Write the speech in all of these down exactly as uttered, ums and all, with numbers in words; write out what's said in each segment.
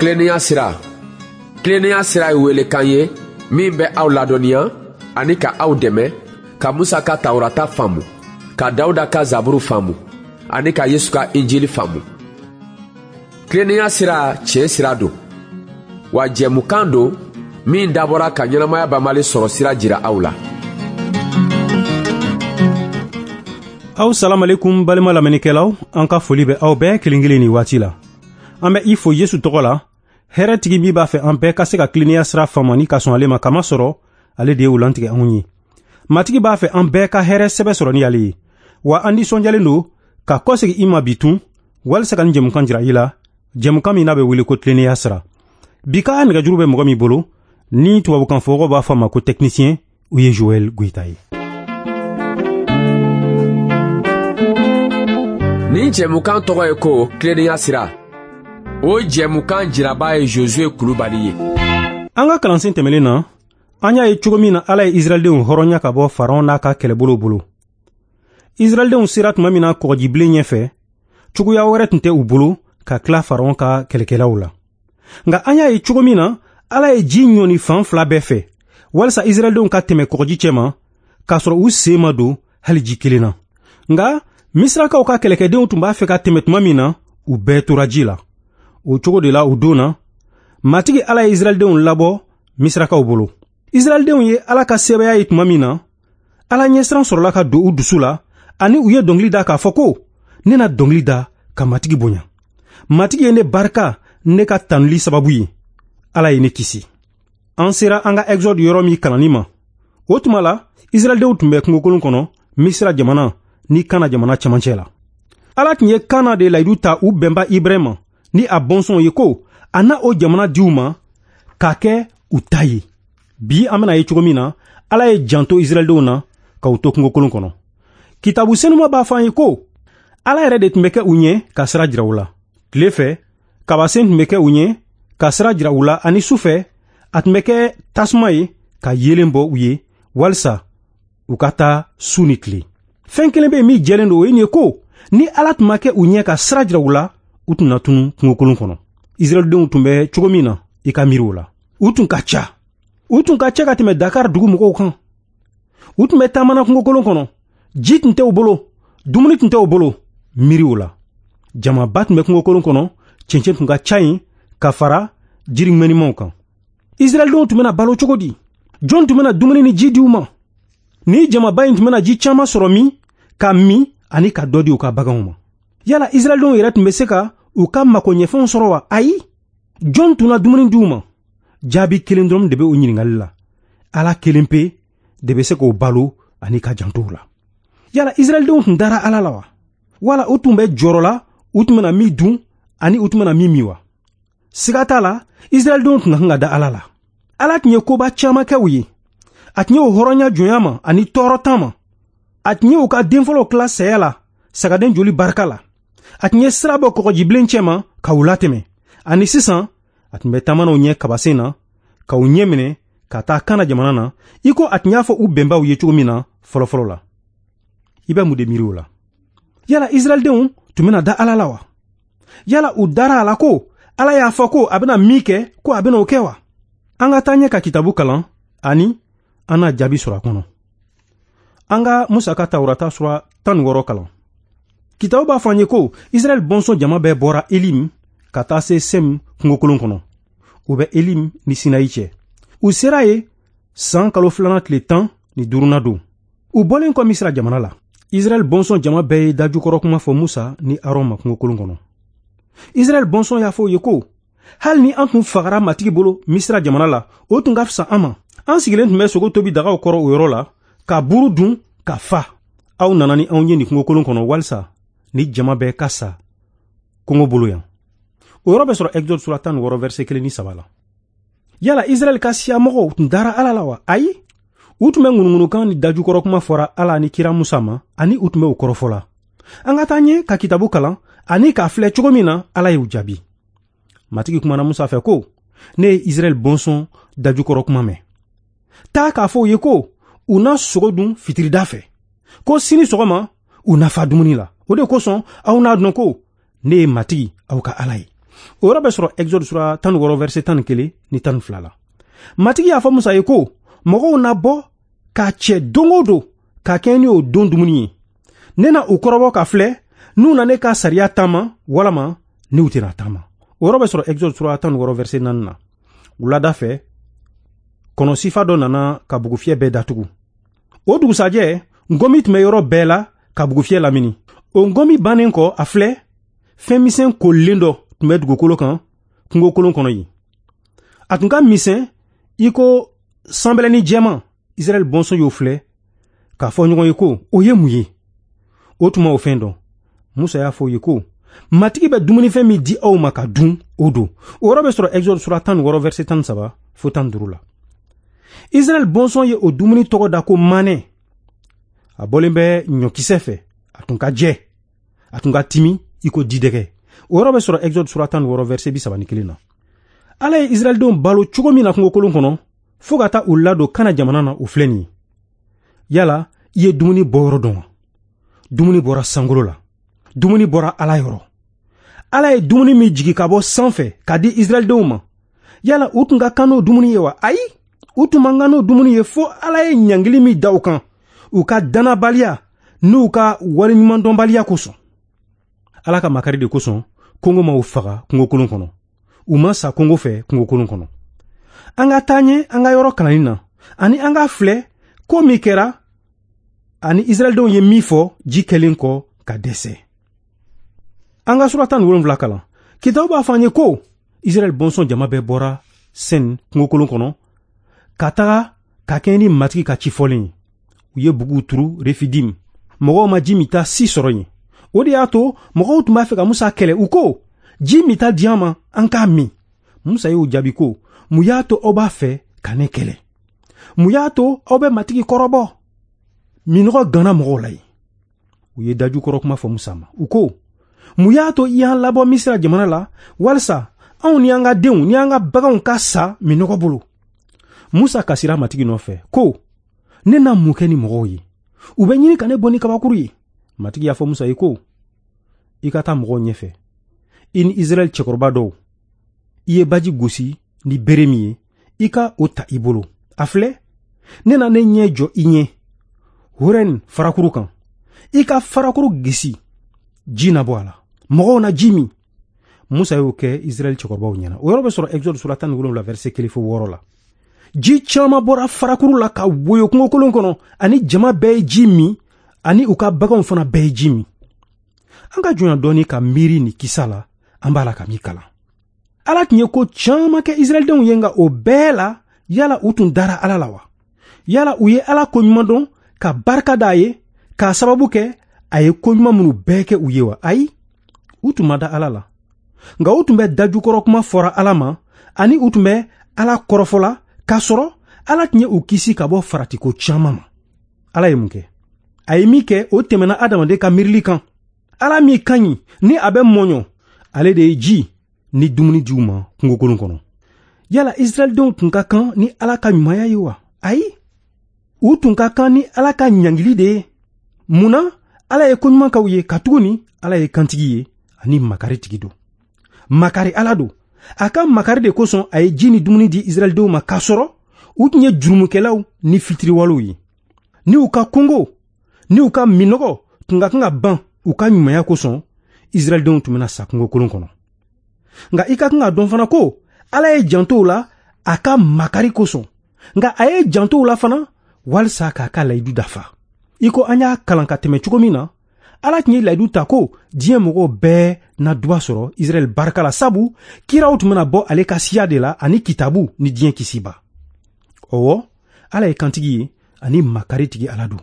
Tilennenya sira. Tilennenya sira ye welekan ye min bɛ aw ladɔnniya ani ka aw dɛmɛ ka Musa ka Tawurata faamu, ka Dawuda ka Zaburu faamu ani ka Yesu ka Injili faamu. Tilennenya sira tiɲɛ sira don, wa jɛmukan don min dabɔra ka ɲɛnamaya banbali sɔrɔ sira jira aw la. Aw salamalekum balima lamɛnnikɛlaw, an ka foli bɛ aw bɛɛ kelen kelen nin waati la. An bɛ i fo Yesu tɔgɔ la, hɛrɛtigi min b'a fɛ an bɛɛ ka se ka tilennenya sira faamu ni ka sɔn ale ma, kamasɔrɔ ale de ye o lantigɛ anw ye. Matigi b'a fɛ an bɛɛ ka hɛrɛ sɛbɛ sɔrɔ ni ale ye. Wa an nisɔndiyalen don ka kɔsegin i ma bi tun, walisa ka nin jɛmukan jira i la, jɛmukan min n'a bɛ wele ko tilennenya sira. Bi ka nɛgɛjuru bɛ mɔgɔ min bolo, ni tubabukan fɔmɔgɔw b'a fɔ a ma ko technicien, o ye Joël Goïta ye. Nin jɛmukan tɔgɔ ye ko tilennenya sira. O jɛmukan jiraba ye Josué Kulubali ye. An ka kalansen tɛmɛnen na, an y'a ye cogo min na Ala ye Israɛldenw hɔrɔnya ka bɔ Faraon n'a ka kɛlɛbolo bolo. Israɛldenw sera tuma min na kɔgɔjibilen ɲɛfɛ, cogoya wɛrɛ tun tɛ u bolo ka tila Faraon ka kɛlɛkɛlaw la. Nka an y'a ye cogo min na Ala ye ji ɲɔni fan fila bɛɛ fɛ, walisa Israɛldenw ka tɛmɛ kɔgɔji cɛma, k'a sɔrɔ u sen ma don hali ji kelen na. Nka Misirakaw ka kɛlɛkɛdenw tun b'a fɛ ka tɛmɛ tuma min na, u bɛɛ tora ji la. O cogo de la o don na, Matigi Ala ye Israɛldenw labɔ Misirakaw bolo. Israɛldenw ye Ala ka sɛbɛya ye tuma min na, Ala ɲɛsiran sɔrɔla ka don u dusu la, ani u ye dɔnkili da k'a fɔ ko, ne na dɔnkili da ka Matigi bonya. Matigi ye ne barika ne ka tanuli sababu ye. Ala ye ne kisi. An sera an ka Exode yɔrɔ min kalanni ma. O tuma la, Israɛldenw tun bɛ kungokolon kɔnɔ, Misira jamana ni Kana jamana cɛmancɛ la. Ala tun ye Kana de layidu ta u bɛnba Ibrahima ni a bɔnsɔnw ye ko a na o jamana di u ma k'a kɛ u ta ye. Bi an bɛna ye cogo min na, Ala ye janto Israɛldenw na ka u to kungokolon kɔnɔ. Kitabu senuma b'a fɔ an ye ko Ala yɛrɛ de tun bɛ kɛ u ɲɛ ka sira jira u la. Tile fɛ, kabasen tun bɛ kɛ u ɲɛ ka sira jira u la, ani su fɛ, a tun bɛ kɛ tasuma ye ka yeelen bɔ u ye walisa u ka taa su ni tile. Fɛn kelen bɛ yen min jɛlen don, o ye nin ye ko ni Ala tun ma kɛ u ɲɛ ka sira jira u la, u tun na tunu kungokolon kɔnɔ. Israɛldenw tun bɛ cogo min na, i ka miiri o la. U tun ka ca. U tun ka ca ka tɛmɛ Dakar dugu mɔgɔw kan. U tun bɛ taamana kungokolon kɔnɔ. Ji tun tɛ u bolo, dumuni tun tɛ u bolo, miiri o la. Jamaba tun bɛ kungokolon kɔnɔ, cɛncɛn tun ka ca yen ka fara jiri ŋɛnimanw kan. Israɛldenw tun bɛna balo cogo di? Jɔn tun bɛna dumuni ni ji di u ma? Ni jamaba in tun bɛna ji caman sɔrɔ min, ka min ani ka dɔ di u ka baganw ma. Yala Israɛldenw yɛrɛ tun bɛ se ka u ka makoɲɛfɛnw sɔrɔ wa? Ayi. Jɔn tun na dumuni di u ma? Jaabi kelen dɔrɔn de bɛ o ɲininkali la. Ala kelen pe de bɛ se k'o balo ani ka janto u la. Yala Israɛldenw tun dara Ala la wa? Wala u tun bɛ jɔrɔ la u tun bɛna min dun ani u tun bɛna min min wa? Siga t'a la, Israɛldenw tun ka kan ka da Ala la. Ala tun ye koba caman kɛ u ye. A tun ye u hɔrɔnya jɔnya ma ani tɔɔrɔtan ma. A tun ye u ka denfɔlɔw tila saya la, sagaden joli barika la. A tun ye sira bɔ kɔgɔjibilen cɛma ka u latɛmɛ. Ani sisan, a tun bɛ taamana u ɲɛ kabasen na, ka u ɲɛ minɛ ka taa Kana jamana na, i ko a tun y'a fɔ u bɛnbaw ye cogo min na fɔlɔfɔlɔ la. I bɛ mun de miiri o la? Yala Israɛldenw tun bɛna da Ala la wa? Yala u dara a la ko Ala y'a fɔ ko a bɛna min kɛ, ko a bɛna o kɛ wa? An ka taa ɲɛ ka kitabu kalan ani an n'a jaabi sɔrɔ a kɔnɔ. An ka Musa ka Tawurata sura tan ni wɔɔrɔ kalan. Kitabu b'a fɔ an ye ko Israɛl bɔnsɔn jama bɛɛ bɔra Elim ka taa se Sem kungokolon kɔnɔ. U bɛ Elim ni Sinayi cɛ. U sera yen san kalo filanan tile tan ni duurunan don. U bɔlen kɔ Misira jamana la, Israɛl bɔnsɔn jama bɛɛ ye dajukɔrɔ kuma fɔ Musa ni Aron ma kungokolon kɔnɔ. Israɛl bɔnsɔn y'a fɔ u ye ko hali ni an tun fagara Matigi bolo Misira jamana la, o tun ka fisa an ma. An sigilen tun bɛ sogo tobi dagaw kɔrɔ o yɔrɔ la, ka buru dun ka fa. Aw nana ni anw ye nin kungokolon kɔnɔ walisa ni jama bɛɛ ka sa kɔngɔ bolo yan. O yɔrɔ bɛ sɔrɔ Exode sura tan ni wɔɔrɔ verset kelen ni saba la. Yala Israɛl ka siyamɔgɔw tun dara Ala la wa? Ayi. U tun bɛ ŋunuŋunukan ni dajukɔrɔ kuma fɔra Ala ni kira Musa ma, ani u tun bɛ u kɔrɔfɔ la. An ka taa ɲɛ ka kitabu kalan ani k'a filɛ cogo min na Ala y'u jaabi. Matigi kumana Musa fɛ ko, ne ye Israɛl bɔnsɔn dajukɔrɔ kuma mɛn. Taa k'a fɔ u ye ko u na sogo dun fitirida fɛ, ko sini sɔgɔma u na fa dumuni la. O de kosɔn aw n'a dɔn ko ne ye Matigi aw ka Ala ye. O yɔrɔ bɛ sɔrɔ Exode sura tan ni wɔɔrɔ verset tan ni kelen ni tan ni fila la. Matigi y'a fɔ Musa ye ko mɔgɔw na bɔ k'a cɛ don o don k'a kɛ ni o don dumuni ye. Ne na u kɔrɔbɔ ka filɛ n'u na ne ka sariya taama walama n'u tɛna taama. O yɔrɔ bɛ sɔrɔ Exode sura tan ni wɔɔrɔ verset naani na. Wulada fɛ, kɔnɔ sifa dɔ nana ka bugufiyɛ bɛɛ datugu. O dugusajɛ, ngɔmi tun bɛ yɔrɔ bɛɛ la ka bugufiyɛ lamini. O ngɔmi bannen kɔ, a filɛ, fɛn misɛn kolilen dɔ tun bɛ dugukolo kan kungokolon kɔnɔ yen. A tun ka misɛn i ko sanbɛlɛnin jɛman. Israɛl bɔnsɔn y'o filɛ k'a fɔ ɲɔgɔn ye ko o ye mun ye? O tun ma o fɛn dɔn. Musa y'a fɔ u ye ko Matigi bɛ dumunifɛn min di aw ma ka dun, o don. O yɔrɔ bɛ sɔrɔ Exode sura tan ni wɔɔrɔ verset tan ni saba fo tan ni duuru la. Israɛl bɔnsɔn ye o dumuni tɔgɔ da ko manɛ. A bɔlen bɛ ɲɔkisɛ fɛ, a tun ka jɛ, a tun ka timi i ko jidɛgɛ. O yɔrɔ bɛ sɔrɔ Exode sura tan ni wɔɔrɔ verset bi saba ni kelen na. Ala ye Israɛldenw balo cogo min na kungokolon kɔnɔ fo ka taa u ladon Kana jamana na, o filɛ nin ye. Yala i ye dumuni bɔyɔrɔ dɔn wa? Dumuni bɔra sankolo la. Dumuni bɔra Ala yɔrɔ. Ala ye dumuni min jigi ka bɔ sanfɛ ka di Israɛldenw ma, yala u tun ka kan n'o dumuni ye wa? Ayi, u tun man kan n'o dumuni ye fo Ala ye ɲangili min da u kan u ka dannabaliya n'u ka waleɲumandɔnbaliya kosɔn. Ala ka makari de kosɔn kɔngɔ ma u faga kungokolon kɔnɔ. U ma sa kɔngɔ fɛ kungokolon kɔnɔ. An ka taa ɲɛ an ka yɔrɔ kalanni na, ani an ka filɛ ko min kɛra ani Israɛldenw ye min fɔ ji kɛlen kɔ ka dɛsɛ. An ka sura tan ni wolonwula kalan. Kitabu b'a fɔ an ye ko Israɛl bɔnsɔn jama bɛɛ bɔra Sen kungokolon kɔnɔ ka taga ka kɛɲɛ ni Matigi ka ci fɔlen ye. U ye buguw turu Refidim. Mɔgɔw ma ji minta si sɔrɔ yen. O de y'a to mɔgɔw tun b'a fɛ ka Musa kɛlɛ. U ko, ji minta di an ma, an k'a min. Musa y'o jaabi ko, mun y'a to aw b'a fɛ ka ne kɛlɛ? Mun y'a to aw bɛ Matigi kɔrɔbɔ? Minɔgɔ ganna mɔgɔw la yen. U ye dajukɔrɔ kuma fɔ Musa ma. U ko, mun y'a to i y'an labɔ Misira jamana la walisa anw ni an ka denw ni an ka baganw ka sa minɔgɔ bolo? Musa kasira Matigi nɔfɛ ko, ne na mun kɛ ni mɔgɔw ye? U bɛ ɲini ka ne bɔ ni kabakuru ye. Matigi y'a fɔ Musa ye ko, i ka taa mɔgɔw ɲɛfɛ, i ni Israɛl cɛkɔrɔba dɔw. I ye baji gosi ni bere min ye, i ka o ta i bolo. A filɛ, ne na ne ɲɛ jɔ i ɲɛ Horɛn farakuru kan. I ka farakuru gisi, ji na bɔ a la, mɔgɔw na ji min. Musa y'o kɛ Israɛl cɛkɔrɔbaw ɲɛna. O yɔrɔ bɛ sɔrɔ Exode sura tan ni wolonwula verset kelen fo wɔɔrɔ la. Ji caman bɔra farakuru la ka woyo kungokolon kɔnɔ, ani jama bɛɛ ye ji min, ani u ka baganw fana bɛɛ ye ji min. An ka jɔnya dɔɔni ka miiri nin kisa la, an b'a la ka min kalan. Ala tun ye ko caman kɛ Israɛldenw ye, nka o bɛɛ la, yala u tun dara Ala la wa? Yala u ye Ala koɲuman dɔn ka barika d'a ye k'a sababu kɛ a ye koɲuman minnu bɛɛ kɛ u ye wa? Ayi, u tun ma da Ala la. Nka u tun bɛ dajukɔrɔ kuma fɔra Ala ma, ani u tun bɛ Ala kɔrɔfɔ la, k'a sɔrɔ Ala tun ye u kisi ka bɔ faratiko caman ma. Ala ye mun kɛ? A ye min kɛ, o tɛmɛna adamaden ka miirili kan. Ala min ka ɲi ni a bɛ mɔɲɔ, ale de ye ji ni dumuni di u ma kungokolon kɔnɔ. Yala Israɛldenw tun ka kan ni Ala ka ɲumanya ye wa? Ayi, u tun ka kan ni Ala ka ɲangili de ye. Mun na Ala ye koɲuman k'aw ye? Katuguni Ala ye kantigi ye ani makaritigi don. Makari Ala don. A ka makari de kosɔn a ye ji ni dumuni di Israɛldenw ma, k'a sɔrɔ u tun ye jurumukɛlaw ni fitiriwalew ye. Ni u ka kɔngɔ ni u ka minɔgɔ tun ka kan ka ban u ka ɲumanya kosɔn, Israɛldenw tun bɛna sa kungokolon kɔnɔ. Nka i ka kan ka dɔn fana ko Ala ye janto u la a ka makari kosɔn. Nka a ye janto u la fana walisa k'a ka layidu dafa. I ko an y'a kalan ka tɛmɛ cogo min na, Ala tun ye layidu ta ko diɲɛ mɔgɔw bɛɛ na duba sɔrɔ Israɛl barika la, sabu kiraw tun bɛna bɔ ale ka siya de la ani kitabu ni diɲɛ kisiba. Ɔwɔ, Ala ye kantigi ye ani makaritigi Ala don.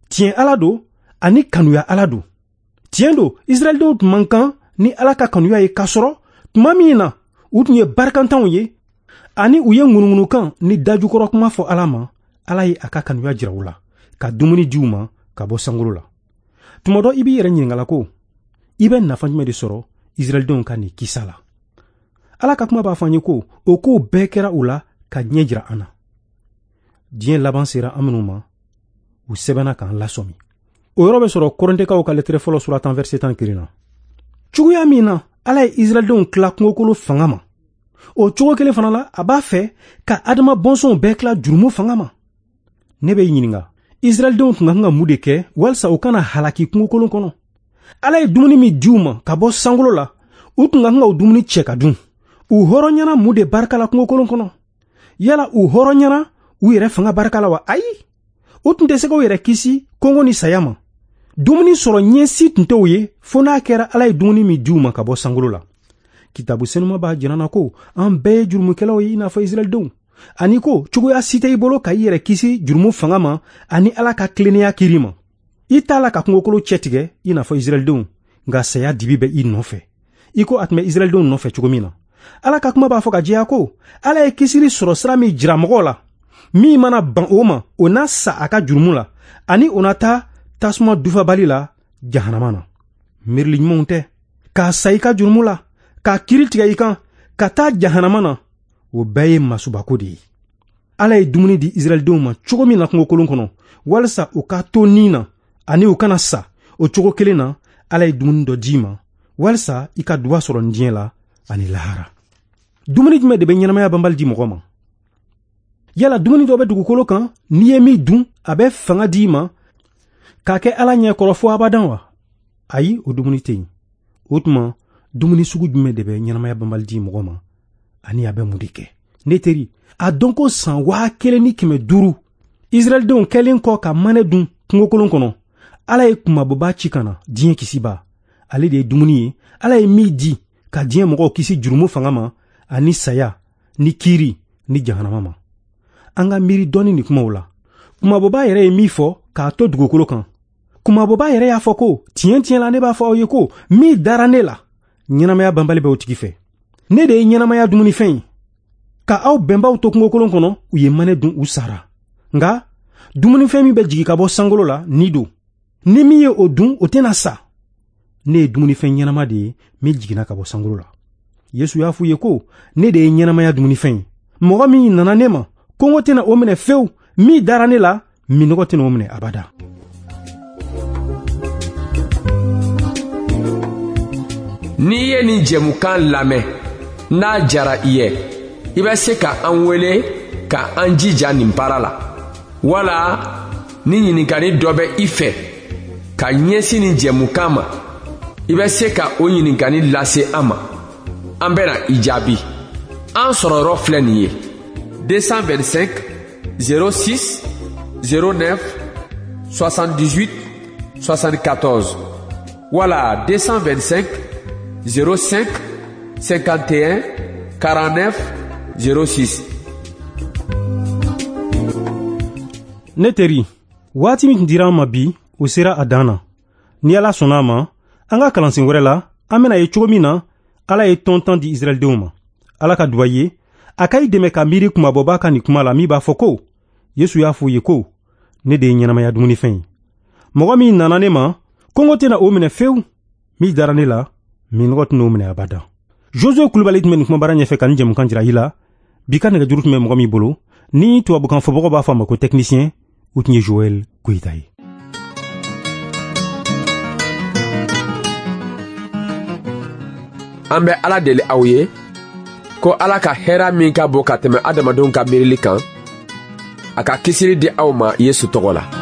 Tiɲɛ Ala don ani kanuya Ala don. Tiɲɛ don, Israɛldenw tun man kan ni Ala ka kanuya ye, k'a sɔrɔ tuma min na u tun ye barikantanw ye ani u ye ŋunuŋunukan ni dajukɔrɔ kuma fɔ Ala ma, Ala ye a ka kanuya jira u la ka dumuni di u ma ka bɔ sankolo la. Tuma dɔ i b'i yɛrɛ ɲininka ko i bɛ nafa jumɛn de sɔrɔ Israɛldenw ka nin kisa la? Ala ka kuma b'a fɔ an ye ko o kow bɛɛ kɛra u la ka ɲɛ jira an na. Diɲɛ laban sera an minnu ma, u sɛbɛnna k'an lasɔmi. O yɔrɔ bɛ sɔrɔ Kɔrɔntɛkaw ka lɛtɛrɛ fɔlɔ sura tan verset tan kelen na. Cogoya min na Ala ye Israɛldenw tila kungokolo fanga ma, o cogo kelen fana la, a b'a fɛ ka Adama bɔnsɔnw bɛɛ tila jurumu fanga ma. Ne bɛ i ɲininka, Israɛldenw tun ka kan ka mun de kɛ walisa u kana halaki kungokolon kɔnɔ? Ala ye dumuni min di u ma ka bɔ sankolo la, u tun ka kan ka o dumuni cɛ ka dun. U hɔrɔnyana mun de barika la kungokolon kɔnɔ? Yala u hɔrɔnyana u yɛrɛ fanga barika la wa? Ayi, u tun tɛ se k'u yɛrɛ kisi kɔngɔ ni saya ma. Dumuni sɔrɔ ɲɛsi tun tɛ u ye fo n'a kɛra Ala ye dumuni min di u ma ka bɔ sankolo la. Kitabu senuma b'a jira na ko an bɛɛ ye jurumukɛlaw ye i n'a fɔ Israɛldenw, ani ko cogoya si tɛ i bolo ka i yɛrɛ kisi jurumu fanga ma ani Ala ka tilennenya kiri ma. I t'a la ka kungokolo cɛtigɛ i n'a fɔ Israɛldenw, nka saya dibi bɛ i nɔfɛ, i ko a tun bɛ Israɛldenw nɔfɛ cogo min na. Ala ka kuma b'a fɔ ka jɛya ko Ala ye kisili sɔrɔ sira min jira mɔgɔw la, min mana ban o ma, o na sa a ka jurumu la, ani o na taa tasuma dufabali la jahanama na. Miirili ɲumanw tɛ k'a sa i ka jurumu la, k'a kiri tigɛ i kan, ka taa jahanama na, o bɛɛ ye masubako de ye. Ala ye dumuni di Israɛldenw ma cogo min na kungokolon kɔnɔ, walisa u ka to ni na ani u kana sa, o cogo kelen na Ala ye dumuni dɔ d'i ma walisa i ka duba sɔrɔ nin diɲɛ la ani lahara. Dumuni jumɛn de bɛ ɲɛnamaya banbali di mɔgɔ ma? Yala dumuni dɔ bɛ dugukolo kan, n'i ye min dun, a bɛ fanga d'i ma k'a kɛ Ala ɲɛkɔrɔ fo abadan wa? Ayi, o dumuni tɛ yen. O tuma, dumuni sugu jumɛn de bɛ ɲɛnamaya banbali di mɔgɔ ma, ani a bɛ mun de kɛ? Ne teri, a dɔn ko san waa kelen ni kɛmɛ duuru Israɛldenw kɛlen kɔ ka manɛ dun kungokolon kɔnɔ, Ala ye kunmabɔba ci ka na diɲɛ kisiba. Ale de ye dumuni ye, Ala ye min di ka diɲɛ mɔgɔw kisi jurumu fanga ma ani saya ni kiiri ni jahanama ma. An ka miiri dɔɔni nin kumaw la. Kunmabɔba yɛrɛ ye min fɔ k'a to dugukolo kan. Kunmabɔba yɛrɛ y'a fɔ ko tiɲɛ tiɲɛ la ne b'a fɔ aw ye ko min dara ne la, ɲɛnamaya banbali bɛ o tigi fɛ. Ne de ye ɲɛnamaya dumunifɛn ye. Ka aw bɛnbaw to kungokolon kɔnɔ, u ye manɛ dun, u sara. Nka dumunifɛn min bɛ jigin ka bɔ sankolo la, ni don. Ni min ye o dun, o tɛna sa. Ne ye dumunifɛn ɲɛnama de ye min jiginna ka bɔ sankolo la. Yesu y'a f'u ye ko ne de ye ɲɛnamaya dumunifɛn ye. Mɔgɔ min nana ne ma, kɔngɔ tɛna o minɛ fewu. Min dara ne la, minnɔgɔ tɛna o minɛ abada. N'i ye nin jɛmukan lamɛn, n'a jara i ye, i bɛ se ka an wele ka an jija nin baara la. Wala ni ɲininkali dɔ bɛ i fɛ ka ɲɛsin nin jɛmukan ma, i bɛ se ka o ɲininkali lase an ma. An bɛna i jaabi. An sɔrɔyɔrɔ filɛ nin ye: deux cent vingt-cinq zéro six zéro neuf soixante-dix-huit soixante-quatorze wala deux cent vingt-cinq zéro cinq cinquante et un quarante-neuf zéro six. Ne teri, waati min tun dira an ma bi, o sera a dan na. Ni Ala sɔnna a ma, an ka kalansen wɛrɛ la, an bɛna ye cogo min na Ala ye tɔn tan di Israɛldenw ma. Ala ka duba ye, a ka i dɛmɛ ka miiri kunmabɔba ka nin kuma la min b'a fɔ ko Yesu y'a fɔ u ye ko ne de ye ɲɛnamaya dumunifɛn ye. Mɔgɔ min nana ne ma, kɔngɔ tɛna o minɛ fewu. Min dara ne la, minnɔgɔ tɛna o minɛ abada. Josue Kulubali tun bɛ nin kumabara ɲɛfɛ ka nin jɛmukan jira i la. Bi ka nɛgɛjuru tun bɛ mɔgɔ min bolo, ni tubabukan fɔbagaw b'a fɔ a ma ko technicien, o tun ye Joël Goyita ye. An bɛ Ala deli aw ye ko Ala ka hɛrɛ min ka bon ka tɛmɛ adamadenw ka miirili kan, a ka kisili di aw ma Yesu tɔgɔ la.